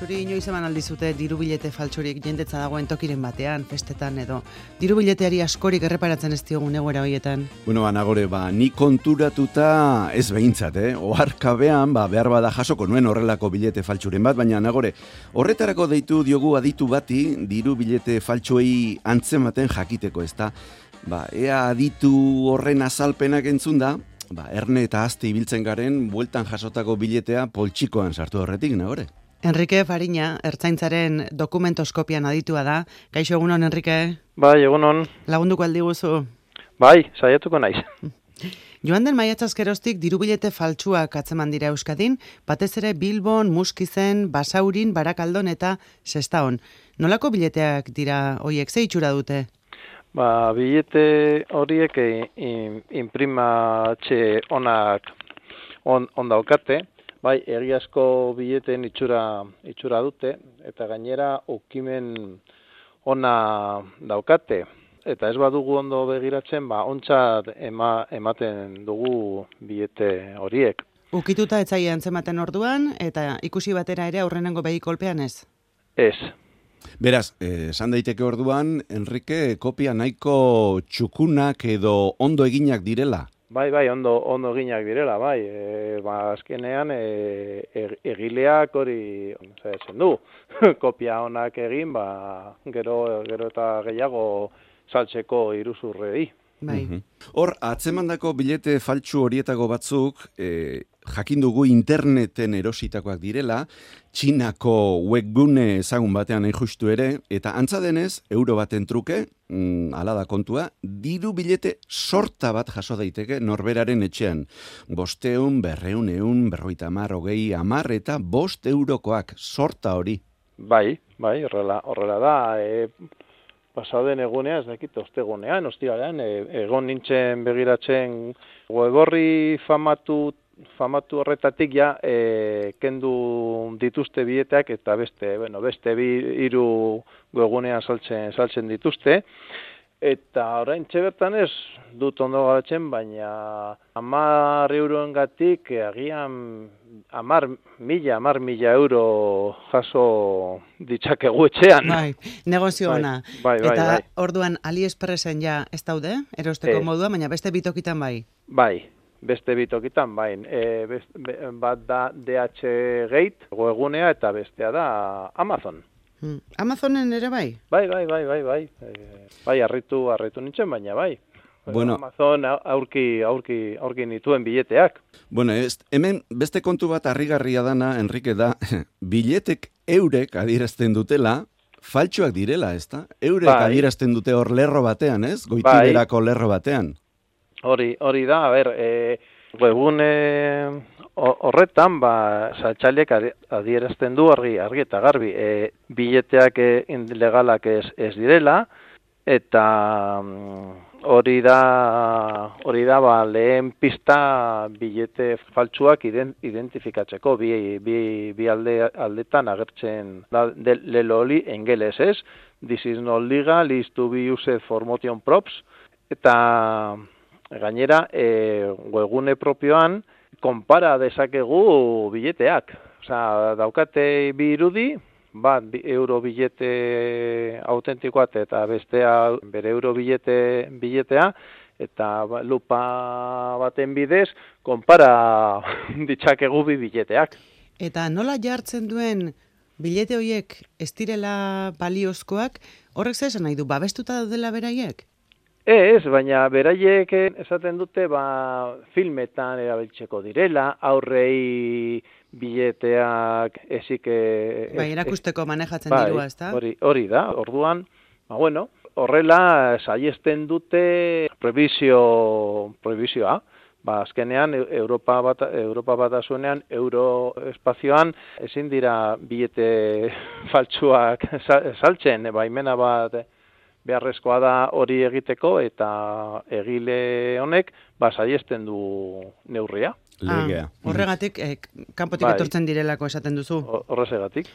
Zuri inoiz eman aldizute dirubilete faltsurik jendetza dagoen tokiren batean, festetan edo dirubileteari askorik erreparatzen ez diogun egoera horietan? Bueno, Nagore, ni konturatuta ez behintzat, oharkabean, behar bada jasoko nuen horrelako bilete faltsuren bat, baina Nagore, horretarako deitu diogu aditu bati dirubilete faltsuei antzematen jakiteko, ezta? Ea aditu horren azalpenak entzunda, erne eta azte ibiltzen garen, bueltan jasotako biletea poltsikoan sartu horretik, Nagore. Enrique Fariña, ertzaintzaren dokumentoskopian aditua da. Kaixo, egunon, Enrique? Bai, egunon. Lagunduko aldiguzu? Bai, saiatuko naiz. Joan den maiatzazkeroztik dirubilete faltsuak atzeman dira Euskadin, batez ere Bilbon, Muskizen, Basaurin, Barakaldon eta Sestaon. Nolako bileteak dira hoiek, ze itxura dute? Bilete horiek imprimatxe onak daukate, bai, egiazko bileteen itxura dute, eta gainera ukimen ona daukate. Eta ez badugu ondo begiratzen, ontzat ematen dugu bilete horiek. Ukituta etzaia antzematen orduan, eta ikusi batera ere aurrenengo behi kolpean ez? Ez. Beraz, esan daiteke orduan, Enrique, kopia nahiko txukunak edo ondo eginak direla? Bai, ondo eginak direla, bai. Azkenean, egileak hori esan du. Kopia onak egin, gero eta gehiago saltzeko iruzurrei. Bai. Hor, atzemandako bilete faltsu horietako batzuk, jakin dugu interneten erositakoak direla, Txinako webgune ezagun batean hain justu ere, eta antza denez, euro baten truke, hala da kontua, diru bilete sorta bat jaso daiteke norberaren etxean. 500, 200, 50, 20, 10 eta 5 eurokoak sorta hori. Bai, horrela da. Pasaden egunean, ez dakit, ostegunean, ostiralean, egon nintzen begiratzen web-orri famatu horretatik kendu dituzte bileteak eta beste hiru webgunean saltzen dituzte. Eta orain bertan ez dut ondo garatzen, baina 10 euroengatik agian 10.000 euro jaso ditzakegu etxean. Bai, negozio ona. Bai. Eta orduan AliExpressen ez daude, erosteko modua, baina beste bitokitan bai. Bai, beste bitokitan bai. Bat da DH Gate, webgunea, eta bestea da Amazon. Amazonen ere bai? Bai. Bai, harritu nintzen, baina bai. Bueno, Amazon aurki nituen bileteak. Bueno, hemen beste kontu bat harrigarria dana, Enrique, da, biletek eurek adierazten dutela, faltsuak direla, ezta? Eurek adierazten dute hor lerro batean, ez? Goitiberako lerro batean. Hori da, webgune horretan, saltzaileak adierazten du argi eta garbi, bileteak legalak ez direla, eta hori da lehen pista bilete faltsuak identifikatzeko, bi aldetan agertzen da lelo hori ingelesez, this is not legal, is to be used for motion props, eta gainera webgune propioan konpara dezakegu bileteak. Osea, daukate bi irudi, bat euro bilete autentikoa eta bestea bere euro biletea, eta lupa baten bidez konpara ditzakegu bi bileteak. Eta nola jartzen duen bilete horiek ez direla baliozkoak, horrek zer esan nahi du, babestuta daudela beraiek? Ez, baina beraiek esaten dute filmetan erabiltzeko direla, aurrei bileteak ezik... erakusteko manejatzen dirua, ezta? Hori da, orduan, horrela saiesten dute prohibizioa. Azkenean, Europa Batasunean, euroespazioan, ezin dira bilete faltsuak saltzen, baimena bat beharrezkoa da hori egiteko, eta egile honek saiesten du neurria. Legea. Horregatik, kanpotik etortzen direlako esaten duzu. Horrezegatik.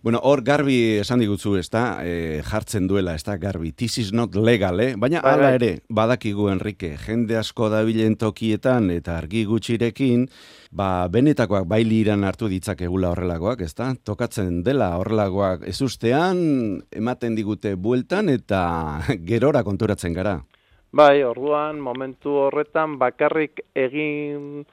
Bueno, hor garbi esan digutzu, jartzen duela, garbi. This is not legal, baina hala ere, badakigu Enrique, jende asko dabilen tokietan eta argi gutxirekin, benetakoak bailiran hartu ditzakegula horrelakoak, tokatzen dela horrelakoak ezustean, ematen digute bueltan eta gerora konturatzen gara. Bai, orduan, momentu horretan bakarrik egin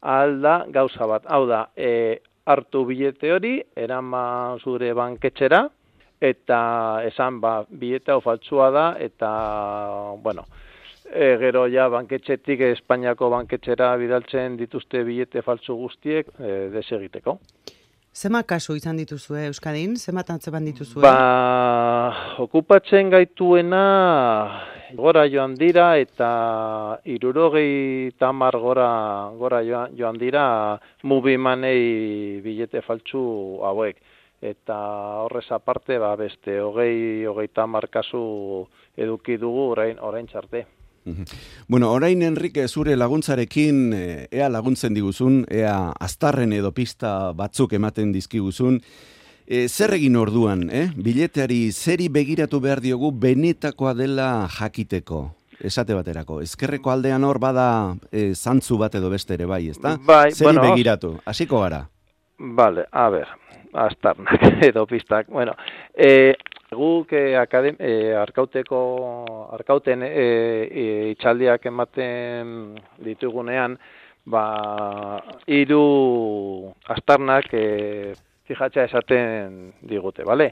alda gauza bat. Hau da, hartu bilete hori, eraman zure banketxera, eta esan, bilete hau faltsua da, eta, bueno, gero ja banketxetik, Espainiako banketxera bidaltzen dituzte bilete faltsu guztiek, desegiteko. Zema kasu izan dituzue Euskadin? Zema tantzeban dituzue? Okupatzen gaituena gora joan dira eta 70 gora joan dira mugimanei bilete faltsu hauek. Eta horrez aparte, beste 20-30 kasu eduki dugu orain txarte. Bueno, orain Enrique zure laguntzarekin ea laguntzen diguzun, ea aztarren edo pista batzuk ematen dizkiguzun, zer egin orduan, bileteari zeri begiratu behar diogu benetakoa dela jakiteko, esate baterako. Ezkerreko aldean hor bada zantzu bat edo beste ere bai, ezta? Bai, zeri begiratu, hasiko gara. Vale, a ber, aztarnak edo pistak, bueno, guk arkauten itxaldiak ematen ditugunean, 3 aztarnak fijatzea esaten digute, bale?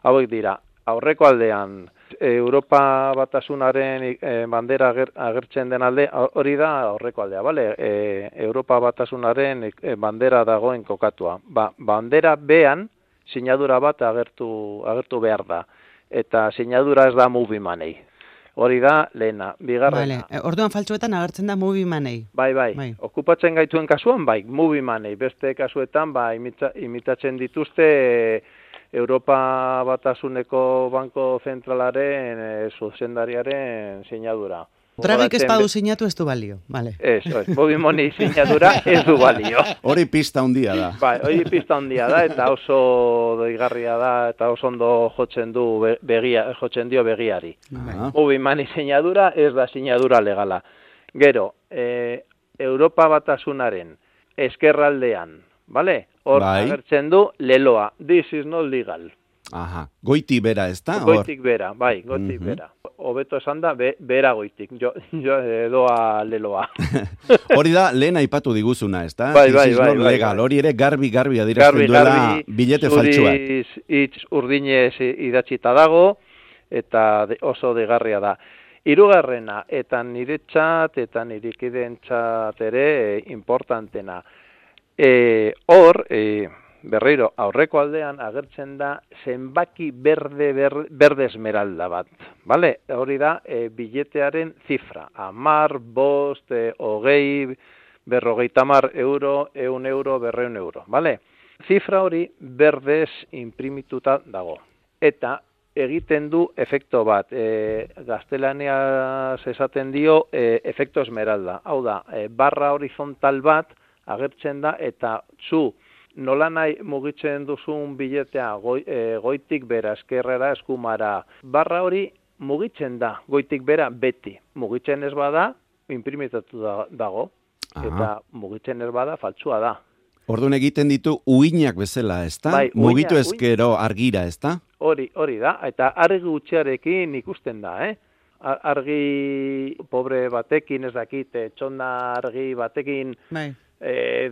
Hauek dira, aurreko aldean Europa Batasunaren bandera agertzen den alde, hori da aurreko aldea, bale? Europa Batasunaren bandera dagoen kokatua. Bandera bean, sinadura bat agertu behar da. Eta sinadura ez da mugimanei. Hori da lehena. Bigarrena. Vale. Orduan faltsuetan agertzen da mugimanei. Bai. Okupatzen gaituen kasuan, mugimanei. Beste kasuetan, imitatzen dituzte Europa Batasuneko Banko Zentralaren zuzendariaren sinadura. Dragik ez badu sinatu ez du balio, vale. Eso, mugimoni sinadura ez du balio. Hori pista handia da. Hori pista handia da, eta oso doigarria da, eta oso ondo jotzen dio begiari. Mugimoni sinadura ez da sinadura legala. Gero, Europa Batasunaren eskerraldean, vale? Hor agertzen du leloa. This is not legal. Aha, goiti bera, ez da? Goitik bera, goitik bera. Hobeto esan da, bera goitik, jo edoa leloa. Hori da, lehen aipatu diguzuna, ez da? Bai. Legal, hori ere garbi adierazten duela bilete faltsuak. Zuriz hitz urdinez idatzita dago, eta oso degarria da. 3. eta niretzat, eta nirikidentzat ere importantena. Hor, berriro, aurreko aldean agertzen da zenbaki berde esmeralda bat. Vale? Hori da biletearen zifra. 10, 5, 20, 50 euro, 100 euro, 200 euro. Vale? Zifra hori berdez imprimituta dago. Eta egiten du efekto bat. Gaztelaniaz esaten dio efekto esmeralda. Hau da, barra horizontal bat agertzen da eta nola nahi mugitzen duzun biletea goitik bera, eskerrera, eskumara. Barra hori mugitzen da, goitik bera beti. Mugitzen ez bada, imprimitatu dago. Eta mugitzen ez bada, faltsua da. Orduan egiten ditu uinak bezala, ezta? Mugitu ezkero argira, ezta? Hori da, eta argi gutxiarekin ikusten da, Argi pobre batekin, ez dakit, txonda argi batekin,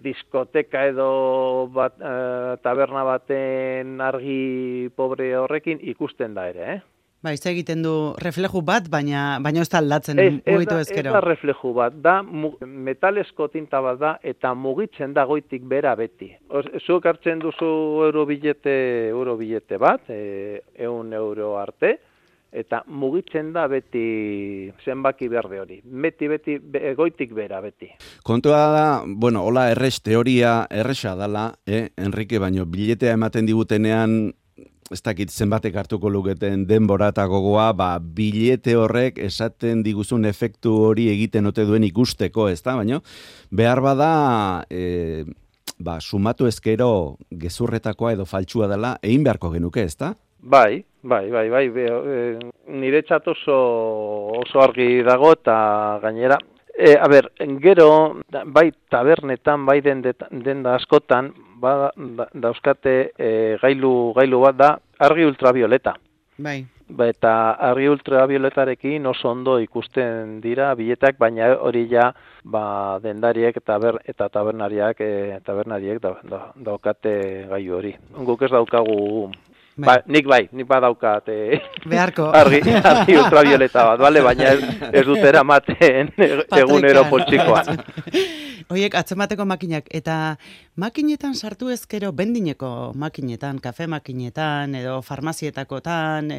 diskoteka edo taberna baten argi pobre horrekin ikusten da ere, Ez egiten du refleju bat, baina ez da aldatzen mugitu ezkero. Ez da refleju bat, da metalesko tinta bat da, eta mugitzen da goitik bera beti. Zuk hartzen duzu euro bilete bat, 100 euro arte, eta mugitzen da beti zenbaki berde hori. Beti, goitik bera beti. Kontua da, hola teoria erresa dala, Enrique, baino biletea ematen digutenean ez dakit zenbatek hartuko luketen denbora eta gogoa, bilete horrek esaten diguzun efektu hori egiten ote duen ikusteko, ez da? Baina, behar bada, sumatu ezkero gezurretakoa edo faltsua dela, egin beharko genuke, ez da? Bai. Niretzat oso argi dago eta gainera. Gero, bai tabernetan, bai denda askotan, dauzkate gailu bat da argi ultravioleta. Bai. Eta argi ultravioletarekin oso ondo ikusten dira biletak, baina hori ja dendariek eta tabernariek daukate gailu hori. Guk ez daukagu. Nik badaukat beharko argi ultravioleta bat, bale? Baina ez dut eramaten egunero poltsikoan. Hoiek atzemateko makinak, eta makinetan sartu ezkero, bendineko makinetan, kafe makinetan, edo farmazietakotan,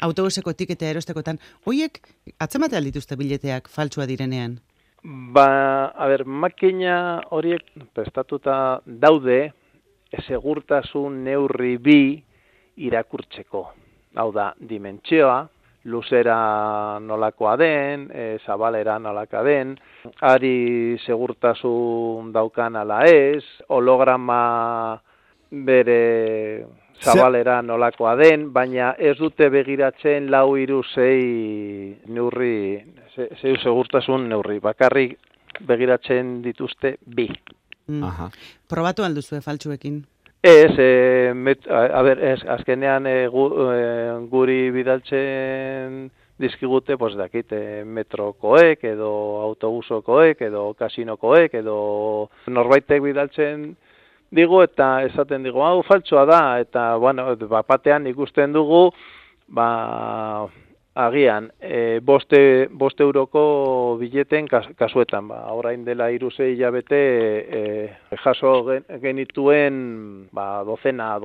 autobuseko tiketea erostekotan, hoiek atzematea dituzte bileteak faltsua direnean? Makina horiek prestatuta daude, segurtasun neurri bi irakurtzeko. Hau da, dimentsioa, luzera nolakoa den, zabalera nolakoa den, ari segurtasun daukan ala ez, holograma bere zabalera nolakoa den, baina ez dute begiratzen 4-3-6 neurri, segurtasun neurri, bakarrik begiratzen dituzte bi. Probatu alduzue faltsuekin? Ez, azkenean guri bidaltzen dizkigute, metrokoek, edo autobusokoek, edo kasinokoek, edo norbaitek bidaltzen digu, eta esaten digu, hau faltsua da, eta, batean ikusten dugu, agian, 5 euroko bileten kasuetan, orain dela 3-6 hilabete jaso genituen dozena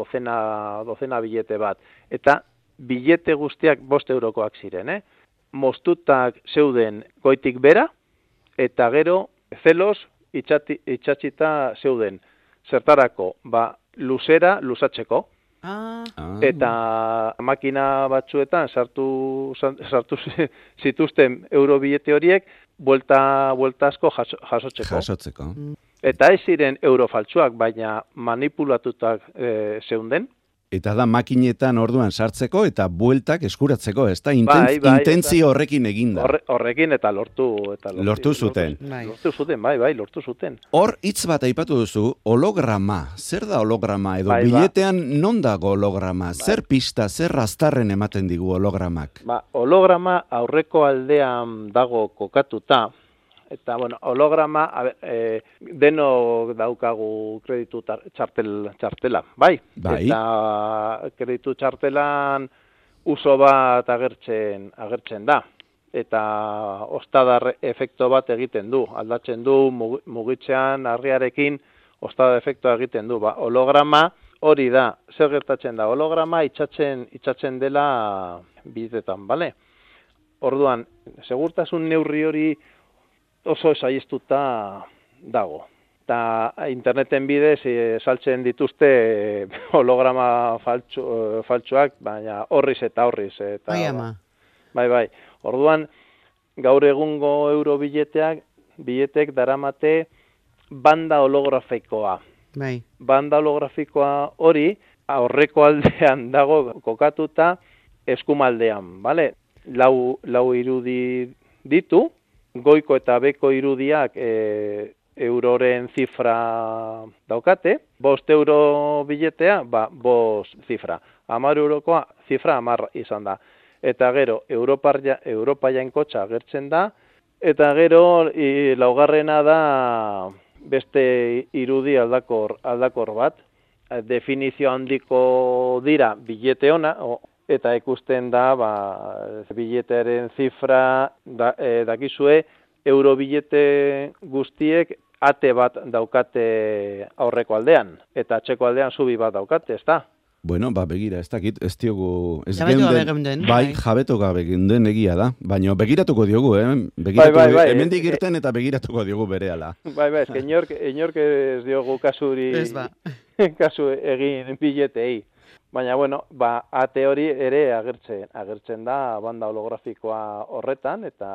bilete bat. Eta bilete guztiak 5 eurokoak ziren, moztutak zeuden goitik bera, eta gero zeloz itxatxita zeuden. Zertarako, luzera luzatzeko. Eta makina batzuetan sartu zituzten eurobilete horiek buelta asko jasotzeko. Eta ez ziren eurofaltsuak, baina manipulatutak zeunden. Eta da makinetan orduan sartzeko eta bueltak eskuratzeko, ez da? Intentzio horrekin eginda. Horrekin eta lortu zuten. Lortu zuten. Hor, hitz bat aipatu duzu, holograma. Zer da holograma? Edo biletean non dago holograma? Zer pista, zer aztarren ematen digu hologramak? Holograma aurreko aldean dago kokatuta. Eta, holograma, denok daukagu kreditu txartela, bai? Eta kreditu txartelan uso bat agertzen da. Eta ostadar efekto bat egiten du. Aldatzen du, mugitzean, argiarekin, ostadar efektoa egiten du. Holograma hori da. Zer gertatzen da? Holograma itxatzen dela bidetan, bale? Orduan, segurtasun neurri hori oso esaistuta dago. Eta interneten bidez saltzen dituzte holograma faltsuak, baina horriz eta horriz. Bai. Orduan, gaur egungo biletek daramate banda holografikoa. Bai. Banda holografikoa hori aurreko aldean dago kokatuta eskumaldean, bale? 4 irudi ditu, goiko eta beko irudiak euroren zifra daukate, 5 euro biletea, 5 zifra. 10 eurokoa zifra 10 izan da. Eta gero, Europa jainkotxa agertzen da, eta gero, laugarrena da beste irudi aldakor bat. Definizio handiko dira bilete ona, eta ikusten da, biletearen zifra dakizue, eurobilete guztiek ate bat daukate aurreko aldean, eta atzeko aldean zubi bat daukate, ez da? Bueno, begira, ez dakit, ez diogu... Jabetu gabe geunden egia da, baina begiratuko diogu, hemendik irten eta begiratuko diogu berehala. Ez inork ez diogu kasuri, kasu egin biletei. Baina, bueno, ate hori ere agertzen da banda holografikoa horretan, eta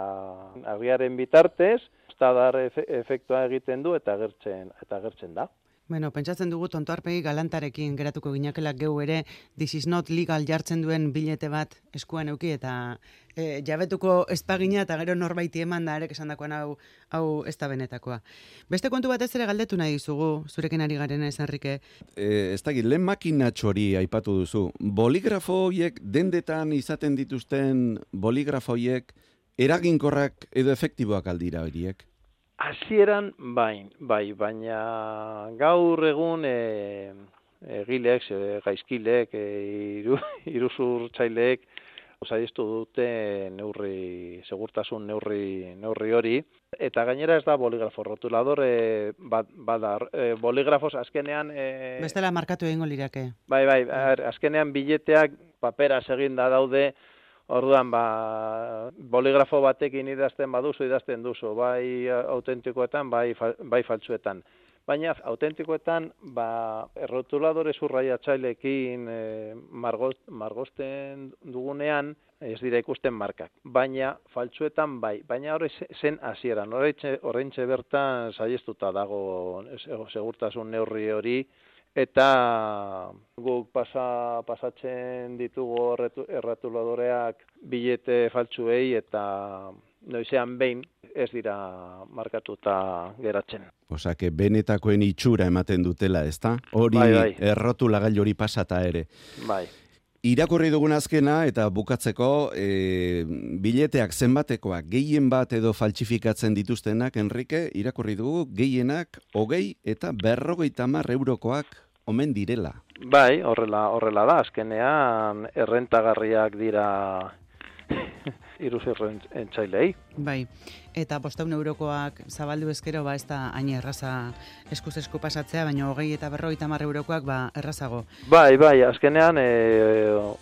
argiaren bitartez, estadar efektua egiten du eta agertzen da. Bueno, pentsatzen dugu tonto arpegi galantarekin geratuko ginakela geu ere This is not legal jartzen duen bilete bat eskuan euki eta jabetuko espagina eta gero norbaiti eman da erek esandakoan hau ez da benetakoa. Beste kontu batez ere galdetu nahi dizugu, zurekin ari garen ez, Enrique. Ez dakit, lehen makinatxori aipatu duzu. Boligrafo horiek, dendetan izaten dituzten boligrafo horiek, eraginkorrak edo efektiboak aldira horiek? Hasieran bai, baina gaur egun egilek, gaizkilek, iruzurtzaileek saihestu dute segurtasun neurri hori, eta gainera ez da boligrafo rotulador bada, boligrafos azkenean bestela markatu egingo lirake. Bai, azkenean bileteak paperaz eginda daude. Orduan, boligrafo batekin idazten duzu, bai autentikoetan, bai faltsuetan. Baina autentikoetan, errotuladore zurraiatzaileekin margosten dugunean, ez dira ikusten markak. Baina faltsuetan bai, baina hori zen hasieran, horreintxe bertan saihestuta dago segurtasun neurri hori, eta guk pasatzen ditugu erratuladoreak bilete faltsuei eta noizean behin ez dira markatuta geratzen. Osake, benetakoen itxura ematen dutela, ezta? Hori errotulagailu hori pasata ere. Bai. Irakurri dugun azkena eta bukatzeko bileteak zenbatekoak gehien bat edo faltsifikatzen dituztenak, Enrique, irakurri dugu gehienak 20 eta 50 eurokoak omen direla. Bai, horrela da, azkenean errentagarriak dira iruzurtzailei. Bai, eta 500 eurokoak zabaldu ezkero, ez da hain erraza eskuz esku pasatzea, baina 20 eta 50 eurokoak errazago. Bai, azkenean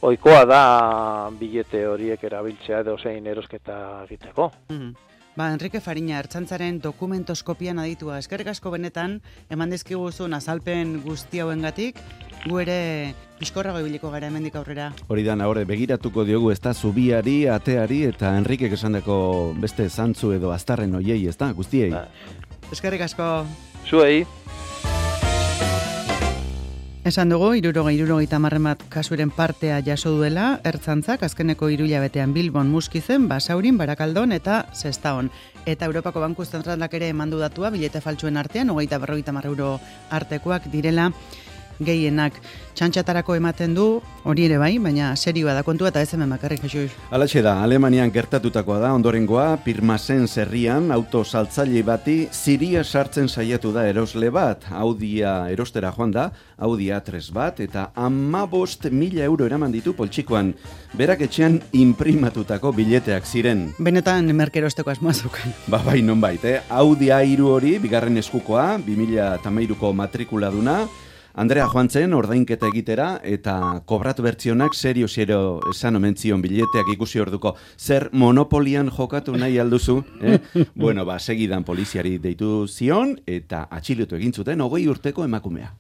ohikoa da bilete horiek erabiltzea edo zein erosketa egiteko. Enrique Fariña, Ertzaintzaren dokumentoskopian aditua. Eskerrik asko benetan, eman dizkiguzun azalpen guzti hauengatik, gu ere pixkorrago ibiliko gara hemendik aurrera. Hori da, nahore, begiratuko diogu ez da zubiari, ateari eta Enriquek esandako beste zantzu edo aztarren hoiei, ez da, guztiei. Eskerrik asko. Zuei. Esan dugu, 70 bat kasuren partea jaso duela, Ertzaintzak azkeneko 3 hilabetean Bilbon, Muskizen, Basaurin, Barakaldon eta Sestaon. Eta Europako Banku Zentralak ere emandu datua, bilete faltsuen artean, 50 euro artekoak direla gehienak. Txantxatarako ematen du, hori ere bai, baina serioa da kontua eta ez hemen bakarrik, Jesus. Alatxe da, Alemanian gertatutakoa da, ondorengoa, Pirmasen herrian auto saltzaile bati ziria sartzen saiatu da erosle bat, Audia erostera joan da, Audia 3 bat, eta 15.000 euro eraman ditu poltsikoan, berak etxean imprimatutako bileteak ziren. Benetan merkerosteko asmoazukan. Bai, nonbait, Audia 3 hori, bigarren eskukoa, 2013ko matrikuladuna, Andrea joan zen ordainketa egitera eta kobratu bertzionak serio esan omen zion bileteak ikusi orduko. Zer monopolian jokatu nahi alduzu? Bueno, segidan poliziari deitu zion eta atxilotu egin zuten 20 urteko emakumea.